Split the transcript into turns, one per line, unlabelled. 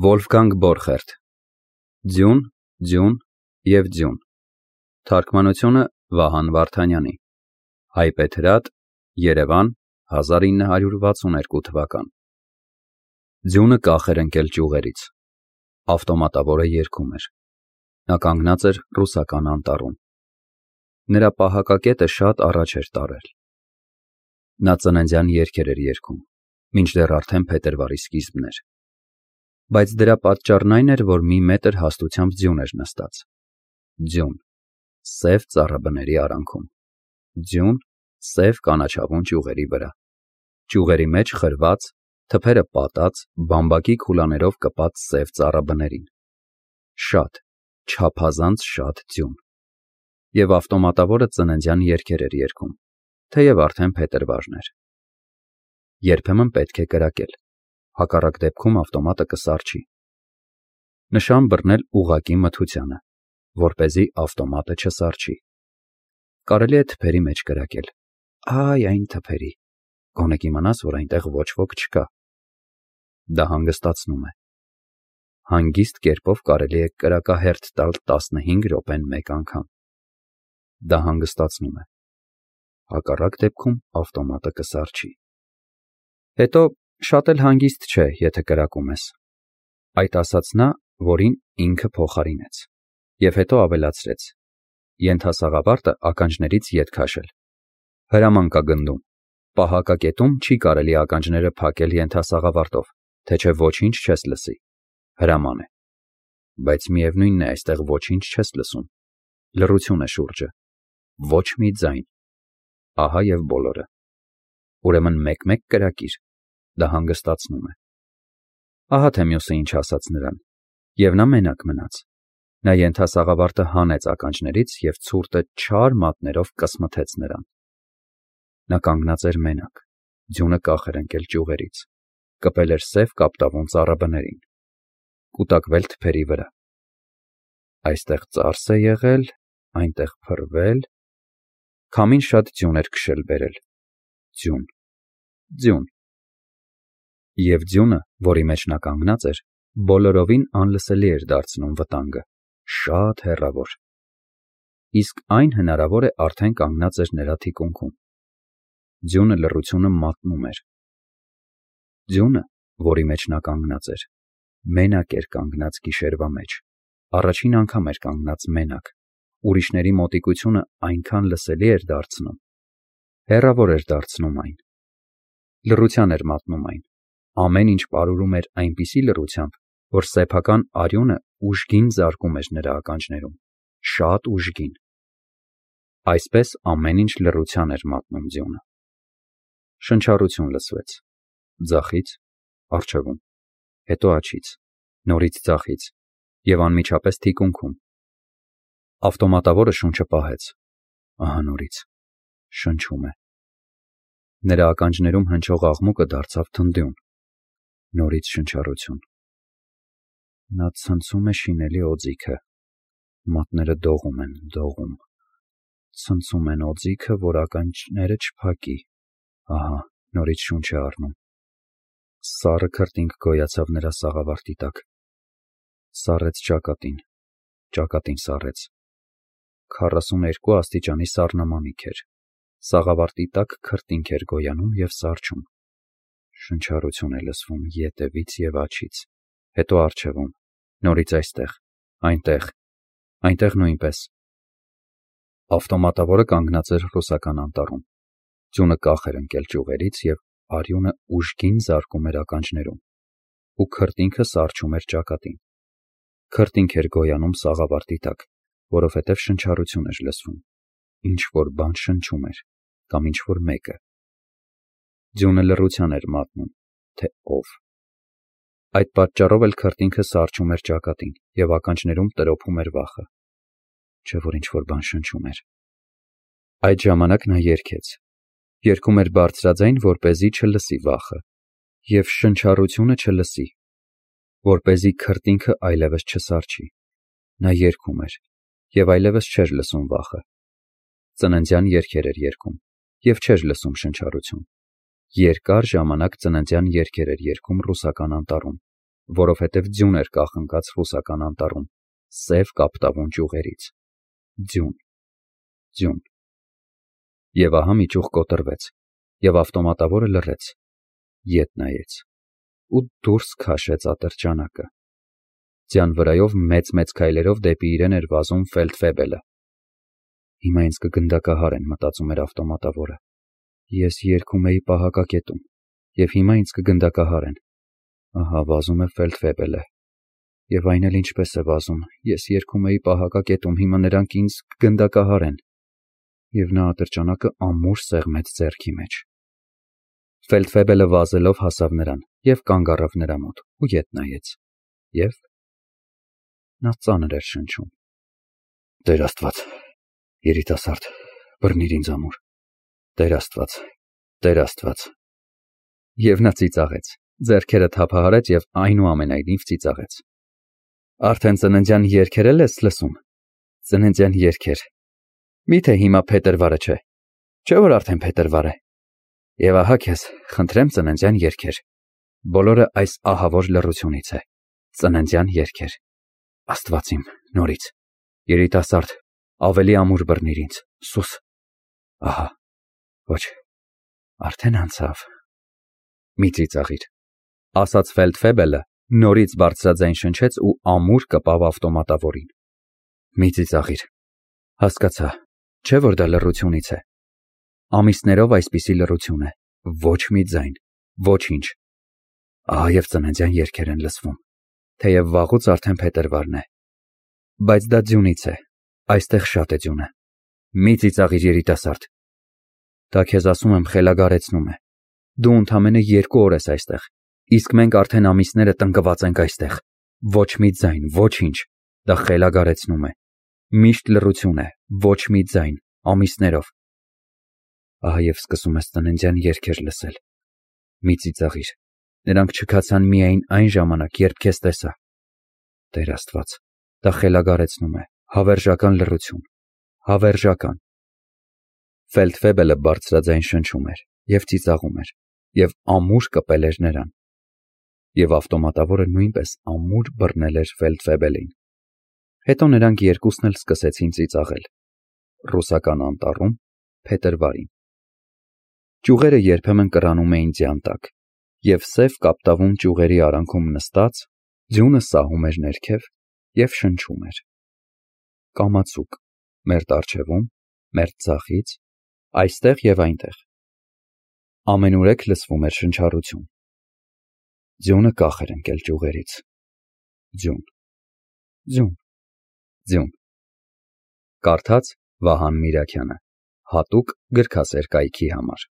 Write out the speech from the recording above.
Վոլֆգանգ Բորխերտ Ձյուն, ձյուն և ձյուն Թարգմանությունը Վահան Վարդանյանի Հայբեթրատ, Երևան 1962 թվական Ձյունը կախ էր ընկել ճյուղերից, ավտոմատավորը երգում էր, նա կանգնած էր ռուսական անտառում, նրա պահակակետը շատ առաջ էր տարել, նա ծննդյան երգեր էր երգում, մինչդեռ արդեն փետրվարի սկիզբն էր, բայց դրա պատճառն այն էր, որ մի մետր հաստությամբ ձյուն էր նստած, ձյուն, սև ծառաբների արանքում, ձյուն, սև կանաչավուն ճյուղերի վրա, ճյուղերի մեջ խրված, թփերը պատած, բամբակի քուլաներով կպած սև ծառաբներին, շատ, չափազանց շատ ձյուն, և ավտոմատավորը ծննդյան երգեր էր երգում, թեև արդեն փետրվարն էր, երբեմն պետք է կրակել, հակառակ դեպքում ավտոմատը կսառչի, նշան բռնել ուղղակի մթությանը, որպեսզի ավտոմատը չսառչի, կարելի է թփերի մեջ կրակել, այ այն թփերի, գոնե կիմանաս, որ այնտեղ ոչ ոք չկա, դա հանգստացնում է, հանգիստ կերպով կարելի է կրակահերթ տալ 15 րոպեն մեկ անգամ, դա հանգստացնում է, հակառակ դեպքում ավտոմատը կսառչի, հետո շատ էլ հանգիստ չէ, եթե կրակում ես, այդ ասաց նա, որին ինքը փոխարինեց, և հետո ավելացրեց, ենթասաղավարտը ականջներից ետ քաշել, հրաման կա գնդում, պահակակետում չի կարելի ականջները փակել ենթասաղավարտով, թե չէ ոչինչ չես լսի, հրաման է, բայց միևնույնն է այստեղ ոչինչ չես լսում, լռություն է շուրջը, ոչ մի ձայն, ահա և բոլորը, ուրեմն մեկ-մեկ կրակիր, դա հանգստացնում է, ահա թե մյուսը ինչ ասաց նրան, և նա մենակ մնաց, նա ենթասաղավարտը հանեց ականջներից և ցուրտը չար մատներով կսմթեց նրան, նա կանգնած էր մենակ, ձյունը կախ էր ընկել ճյուղերից, կպել էր սև կապտավուն ծառաբներին, կուտակվել թփերի վրա, այստեղ ծարս է եղել, այնտեղ փռվել, քամին շատ ձյուն էր քշել բերել, ձյուն, ձյուն, և ձյունը, որի մեջ նա կանգնած էր, բոլորովին անլսելի էր դարձնում վտանգը, շատ հեռավոր, իսկ այն հնարավոր է արդեն կանգնած էր նրա թիկունքում, ձյունը լռությունը մատնում էր, ձյունը, որի մեջ նա կանգնած էր, մենակ էր կանգնած գիշերվա մեջ, առաջին անգամ էր կանգնած մենակ, ուրիշների մոտիկությունը այնքան լսելի էր դարձնում, հեռավոր էր դարձնում այն, լռության էր մատնում այն, ամեն ինչ պարուրում էր այնպիսի լռությամբ, որ սեփական արյունը ուժգին զարկում էր նրա ականջներում, շատ ուժգին, այսպես ամեն ինչ լռության էր մատնում ձյունը, շնչառություն լսվեց, ձախից, առջևում, հետո աջից, նորից ձախից և անմիջապես թիկունքում, ավտոմատավորը շունչը պահեց, ահա նորից, շնչում է, նրա ականջներում հնչող աղմուկը դարձավ թնդյուն, նորից շնչառություն, նա ցնցում է շինելի օձիքը, մատները դողում են, դողում, ցնցում են օձիքը, որ ականջները չփակի, ահա, նորից շունչ է առնում, սառը քրտինք գոյացավ նրա սաղավարտի տակ, սառեց ճակատին, ճակատին սառեց, 42 աստիճանի սառնամանիք էր, սաղավարտի տակ քրտինք էր գոյանում և սառչում, շնչառություն է լսվում ետևից և աջից, հետո առջևում, նորից այստեղ, այնտեղ նույնպես, ավտոմատավորը կանգնած էր ռուսական անտառում, ձյունը կախ էր ընկել ճյուղերից և արյունը ուժգին զարկում էր ականջներում, ու քրտինքը սառչում էր ճակատին, քրտինք էր գոյանում սաղավարտի տակ, որովհետև շնչառություն էր լսվում, ինչ-որ բան շնչում էր, կամ ինչ-որ մեկը, ձյունը լռության էր մատնում, թե ով, այդ պատճառով էլ քրտինքը սառչում էր ճակատին և ականջներում տրոփում էր վախը, չէ՞ որ ինչ-որ բան շնչում էր, այդ ժամանակ նա երգեց, երգում էր բարձրաձայն, որպեսզի չլսի վախը և շնչառությունը չլսի, որպեսզի քրտինքը այլևս չսառչի, նա երգում էր և այլևս չէր լսում վախը, ծննդյան երգեր էր երգում և չէր լսում շնչառություն, երկար ժամանակ ծննդյան երգեր էր երգում ռուսական անտառում, որովհետև ձյուն էր կախնկած ռուսական անտառում, սև կապտավուն ճյուղերից։ Ձյուն, ձյուն։ Եվ ահա մի ճյուղ կոտրվեց, և ավտոմատավորը լռեց, ետ նայեց ու դուրս քաշեց ատրճանակը։ Ձյան վրայով մեծ քայլերով դեպի իրեն էր վազում Ֆելդֆեբելը։ Հիմա ինձ կգնդակահարեն, մտածում էր ավտոմատավորը։ Ես երգում էի պահակակետում, և հիմա ինձ կգնդակահարեն։ Ահա վազում է Ֆելդֆեբելը։ Եվ այն էլ ինչպես է վազում, ես երգում էի պահակակետում, հիմա նրանք ինձ կգնդակահարեն։ Եվ նա ատրճանակը ամուր սեղմեց ձեռքի մեջ։ Ֆելդֆեբելը վազելով հասավ նրան և կանգ առավ նրա մոտ ու ետ նայեց։ Եվ նա ծանր էր շնչում. Տեր Աստված, երիտասարդ, բռնիր ինձ ամուր, Տեր Աստված, Տեր Աստված։ Եվ նա ծիծաղեց, ձեռքերը թափահարեց և այնուամենայնիվ ծիծաղեց։ Արդեն ծննդյան երգեր ես լսում։ Ծննդյան երգեր։ Միթե հիմա փետրվարը չէ։ Չէ՞ որ արդեն փետրվար է։ Եվ ահա քեզ, խնդրեմ, ծննդյան երգեր։ Բոլորը այս ահավոր լռությունից է։ Ծննդյան երգեր։ Աստված իմ, նորից։ Երիտասարդ, ավելի ամուր բռնիր ինձ, սուս։ Ահա, ոչ, արդեն անցավ։ Մի ծիծաղիր, ասաց Ֆելդֆեբելը, նորից բարձրաձայն շնչեց ու ամուր կպավ ավտոմատավորին։ Մի ծիծաղիր, հասկացա, չէ՞ որ դա լռությունից է։ Ամիսներով այսպիսի լռություն է, ոչ մի ձայն, ոչինչ։ Ահա և ծննդյան երգեր են լսվում, թեև վաղուց արդեն փետրվարն է։ Բայց դա ձյունից է, այստեղ շատ է ձյունը։ Մի ծիծաղիր, երիտասարդ։ Դա քեզ ասում եմ խելագարեցնում է։ Դու ընդամենը 2 օր ես այստեղ, իսկ մենք արդեն ամիսները տնկված ենք այստեղ։ Ոչ մի ձայն, ոչինչ, դա խելագարեցնում է։ Միշտ լռություն է, ոչ մի ձայն, ամիսներով։ Ահա և սկսում ես ծննդյան երգեր լսել։ Մի ծիծաղիր, նրանք չքացան միայն այն ժամանակ, երբ քեզ տեսա։ Տեր Աստված, դա խելագարեցնում է, հավերժական լռություն, հավերժական։ Ֆելդֆեբելը բարձրաձայն շնչում էր և ծիծաղում էր, և ամուր կպել էր նրան։ Եվ ավտոմատավորը նույնպես ամուր բռնել էր Ֆելդֆեբելին։ Հետո նրանք երկուսն էլ սկսեցին ծիծաղել։ Ռուսական անտառում, փետրվարին։ Ճյուղերը երբեմն կռանում էին ձյան տակ, և սև կապտավուն ճյուղերի արանքում նստած, ձյունը սահում էր ներքև և շնչում էր։ Կամացուկ, մերթ առջևում, մերթ ձախից, այստեղ և այնտեղ։ Ամենուրեք լսվում էր շնչառություն։ Ձյունը կախ էր ընկել ճյուղերից։ Ձյուն, ձյուն, ձյուն։ Կարդաց Վահան Միրաքյանը, հատուկ գրքասեր կայքի համար։